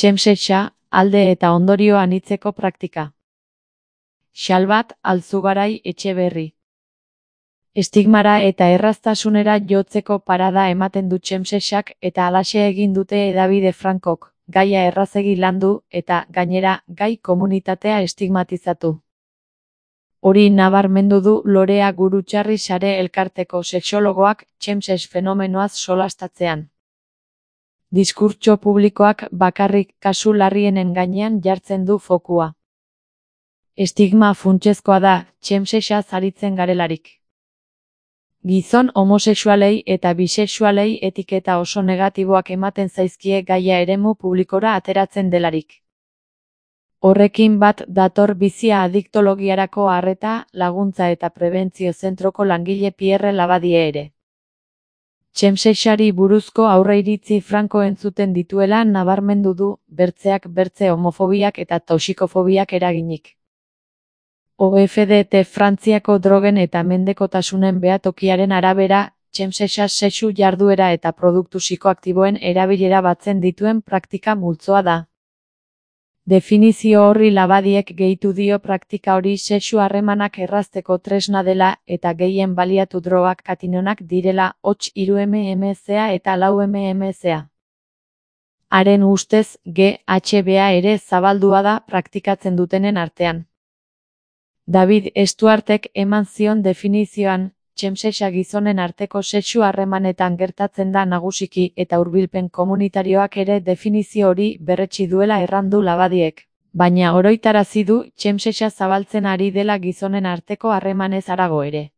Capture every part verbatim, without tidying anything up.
Txemsexa, alde eta ondorio anitzeko praktika. Xalbat Alzugarai Etxeberri. Estigmara eta erraztasunera jotzeko parada ematen du txemsexak eta halaxe egin dute hedabide frankok, gaia errazegi landu eta, gainera, gai komunitatea estigmatizatu. Hori nabarmendu du Lorea Gurutxarri Sare elkarteko sexologoak txemsex fenomenoaz solastatzean. Diskurtso publikoak bakarrik kasu larrienen gainean jartzen du fokua. Estigma funtsezkoa da, txemsexaz aritzen garelarik. Gizon homosexualei eta bisexualei etiketa oso negatiboak ematen zaizkie gaia eremu publikora ateratzen delarik. Horrekin bat dator bizia adiktologiarako arreta, laguntza eta prebentzio zentroko langile Pierre Labadie ere. Txemsexari buruzko aurreiritzi franko entzuten dituela nabarmendu du, bertzeak bertze homofobiak eta toxikofobiak eraginik. O F D T Frantziako drogen eta mendekotasunen behatokiaren arabera, txemsexa sexu jarduera eta produktu psikoaktiboen erabilera batzen dituen praktika multzoa da. Definizio horri Labadiek gehitu dio praktika hori sexu harremanak errazteko tresna dela eta gehien baliatu drogak katinonak direla, hots hiru M M C A eta lau M M C A. Haren ustez, G H B A ere zabaldua da praktikatzen dutenen artean. David Stuartek eman zion definizioan, txemsexa gizonen arteko sexu harremanetan gertatzen da nagusiki eta hurbilpen komunitarioak ere definizio hori berretsi duela errandu Labadiek, baina oroitarazi du txemsexa zabaltzen ari dela gizonen arteko harremanez harago ere.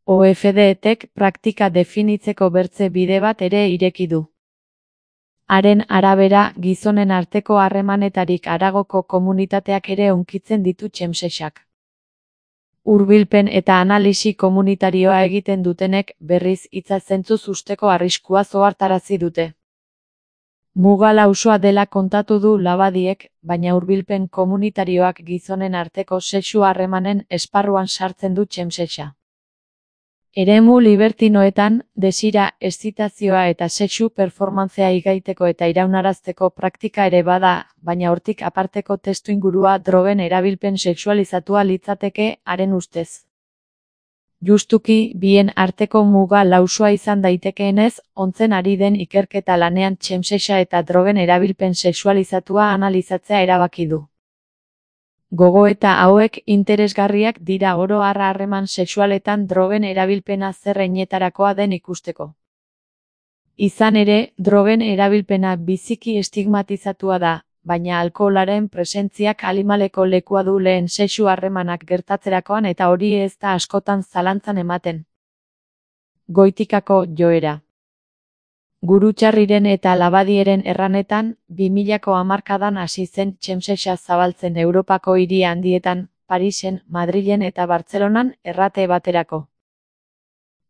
O F D Tek praktika definitzeko bertze bide bat ere ireki du. Haren arabera, gizonen arteko harremanetarik haragoko komunitateak ere hunkitzen ditu txemsexak. Hurbilpen eta analisi komunitarioa egiten dutenek berriz hitza zentzuz usteko arriskua ohartarazi dute. Muga lausoa dela kontatu du Labadiek, baina hurbilpen komunitarioak gizonen arteko sexu harremanen esparruan sartzen du txemsexa. Eremu libertinoetan, desira, eszitazioa eta sexu performantzea igaiteko eta iraunarazteko praktika ere bada, baina hortik aparteko testuingurua drogen erabilpen sexualizatua litzateke, haren ustez. Justuki, bien arteko muga lausoa izan daitekeenez, ontzen ari den ikerketa lanean txemsexa eta drogen erabilpen sexualizatua analizatzea erabaki du. Gogoeta hauek interesgarriak dira oro har harreman sexualetan drogen erabilpena zer heinetarakoa den ikusteko. Izan ere, drogen erabilpena biziki estigmatizatua da, baina alkoholaren presentziak animaleko lekua du lehen sexu harremanak gertatzerakoan eta hori ez da askotan zalantzan ematen. Goitikako joera. Gurutxarriren eta Labadieren erranetan, bi milako hamarkadan hasi zen txemsexa zabaltzen Europako hiri handietan, Parisen, Madrilen eta Bartzelonan errate baterako.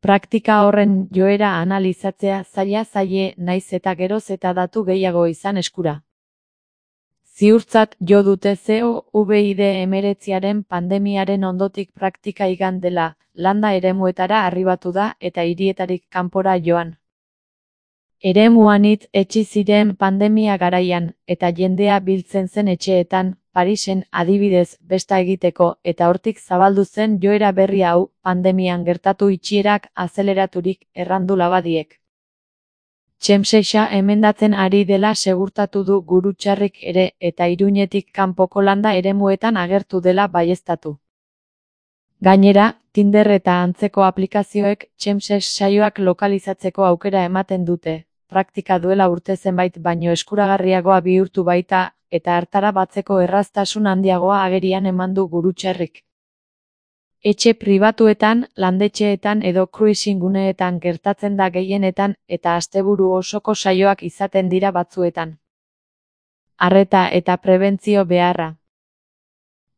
Praktika horren joera analizatzea zaila zaie naiz eta geroz eta datu gehiago izan eskura. Ziurtzat jo dute COVID hemeretziaren pandemiaren ondotik praktika igan dela, landa eremuetara arribatu da eta hirietarik kanpora joan. Eremuan hitz etsi ziren pandemia garaian, eta jendea biltzen zen etxeetan, Parisen adibidez besta egiteko, eta hortik zabaldu zen joera berri hau, pandemian gertatu itxierak azeleraturik errandu Labadiek. Txemsexa emendatzen ari dela segurtatu du Gurutxarrik ere, eta Iruñetik kanpoko landa eremuetan agertu dela baieztatu. Gainera, Tinder eta antzeko aplikazioek txemsex saioak lokalizatzeko aukera ematen dute, praktika duela urte zenbait baino eskuragarriagoa bihurtu baita, eta hartara batzeko erraztasun handiagoa agerian eman du Gurutxarrik. Etxe pribatuetan, landetxeetan edo cruising guneetan gertatzen da gehienetan eta asteburu osoko saioak izaten dira batzuetan. Arreta eta prebentzio beharra.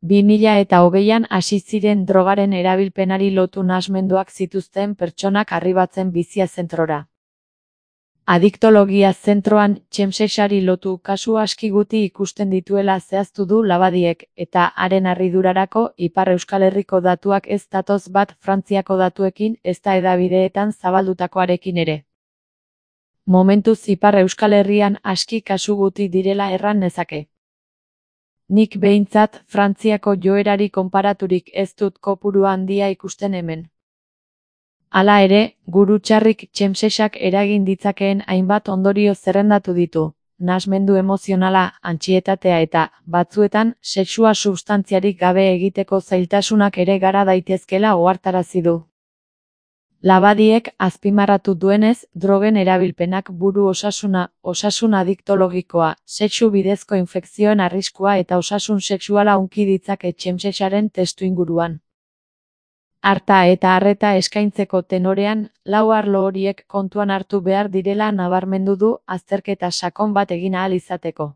bi mila eta hogeian hasi ziren drogaren erabilpenari lotu nahasmenduak zituzten pertsonak arribatzen bizia zentrora. Adiktologia zentroan txemsexari lotu kasu aski guti ikusten dituela zehaztu du Labadiek, eta haren harridurarako Ipar Euskal Herriko datuak ez datoz bat Frantziako datuekin ezta hedabideetan zabaldutakoarekin ere. Momentuz Ipar Euskal Herrian aski kasu guti direla erran nezake. Nik behintzat Frantziako joerari konparaturik ez dut kopuru handia ikusten hemen. Hala ere, gurutxarrik txemsesak eragin ditzakeen hainbat ondorio zerrendatu ditu, nahasmendu emozionala, antsietatea eta, batzuetan, sexua substantziarik gabe egiteko zailtasunak ere gara daitezkela ohartarazi du. Labadiek azpimarratu duenez, drogen erabilpenak buru osasuna, osasun adiktologikoa, sexu bidezko infekzioen arriskua eta osasun sexuala hunki ditzake txemsesaren testuinguruan. Arta eta arreta eskaintzeko tenorean, lau arlo horiek kontuan hartu behar direla nabarmendu du azterketa sakon bat egin ahal izateko.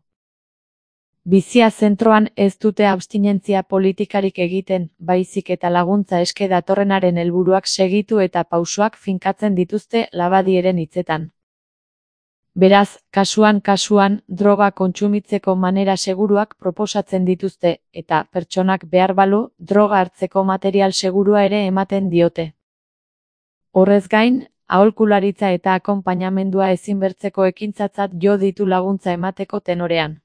Bizia zentroan ez dute abstinentzia politikarik egiten, baizik eta laguntza eske datorrenaren helburuak segitu eta pausoak finkatzen dituzte Labadieren hitzetan. Beraz, kasuan kasuan, droga kontsumitzeko manera seguruak proposatzen dituzte, eta pertsonak behar balu, droga hartzeko material segurua ere ematen diote. Horrez gain, aholkularitza eta akonpainamendua ezinbertzeko ekintzatzat jo ditu laguntza emateko tenorean.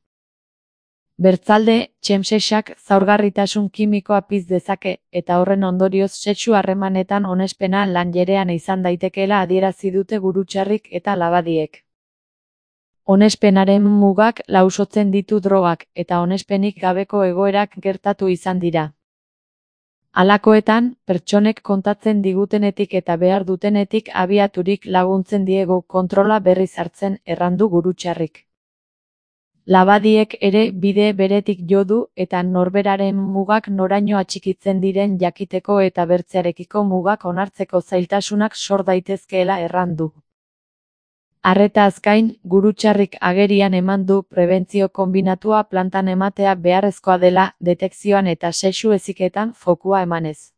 Bertzalde, txemsesak zaurgarritasun kimikoa piztu dezake, eta horren ondorioz sexu harremanetan onespena lanjerean izan daitekeela adierazi dute Gurutxarrik eta Labadiek. Onespenaren mugak lausotzen ditu drogak, eta onespenik gabeko egoerak gertatu izan dira. Halakoetan, pertsonek kontatzen digutenetik eta behar dutenetik abiaturik laguntzen diegu kontrola berriz hartzen, errandu Gurutxarrik. Labadiek ere bide beretik jo du eta norberaren mugak noraino atxikitzen diren jakiteko eta bertzearekiko mugak onartzeko zailtasunak sor daitezkeela errandu. Arretaz gain, Gurutxarrik agerian eman du prebentzio konbinatua plantan ematea beharrezkoa dela detekzioan eta sexu heziketan fokua emanez.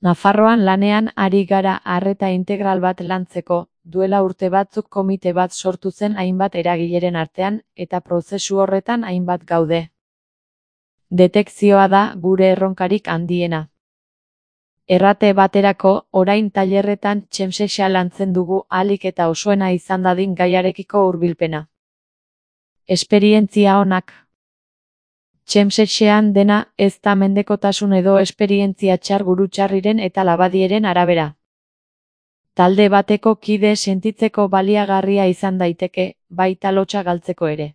Nafarroan lanean ari gara arreta integral bat lantzeko, duela urte batzuk komite bat sortu zen hainbat eragileren artean, eta prozesu horretan hainbat gaude. Detekzioa da gure erronkarik handiena. Errate baterako, orain tailerretan txemsesa lantzen dugu ahalik eta osoena izan dadin gaiarekiko hurbilpena. Esperientzia onak. Txemsesean dena ez da mendekotasun edo esperientzia txar Gurutxarriren eta Labadieren arabera. Talde bateko kide sentitzeko baliagarria izan daiteke, baita lotsa galtzeko ere.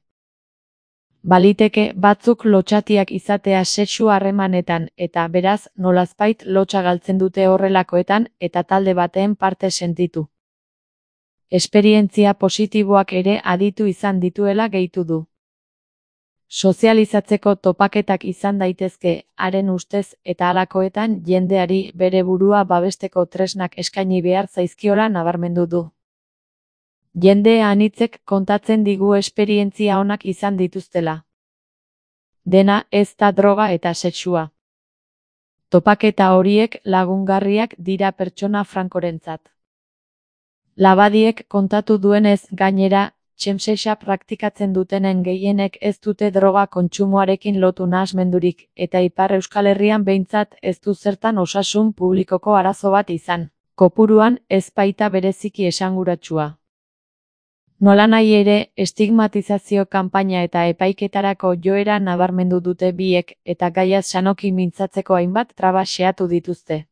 Baliteke batzuk lotxatiak izatea sexu harremanetan eta beraz nolazbait lotsa galtzen dute horrelakoetan eta talde baten parte sentitu. Esperientzia positiboak ere aditu izan dituela gehitu du. Sozializatzeko topaketak izan daitezke, haren ustez eta halakoetan jendeari bere burua babesteko tresnak eskaini behar zaizkiola nabarmendu du. Jende anitzek kontatzen digu esperientzia onak izan dituztela. Dena ez da droga eta sexua. Topaketa horiek lagungarriak dira pertsona frankorentzat. Labadiek kontatu duenez gainera, txemsesa praktikatzen dutenen gehienek ez dute droga kontsumoarekin lotu nahasmendurik, eta Ipar Euskal Herrian behintzat ez du zertan osasun publikoko arazo bat izan. Kopuruan ez baita bereziki esanguratsua. Nolanahi ere, estigmatizazio kanpaina eta epaiketarako joera nabarmendu dute biek, eta gaiaz sanoki mintzatzeko hainbat traba xeatu dituzte.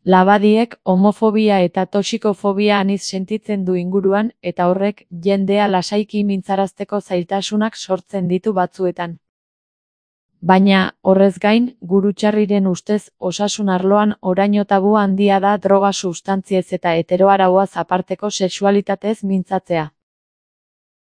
Labadiek homofobia eta toxikofobia aniz sentitzen du inguruan, eta horrek jendea lasaiki mintzarazteko zailtasunak sortzen ditu batzuetan. Baina, horrez gain, Gurutxarriren ustez osasun arloan oraino tabu handia da droga substantziez eta heteroarauaz aparteko sexualitatez mintzatzea.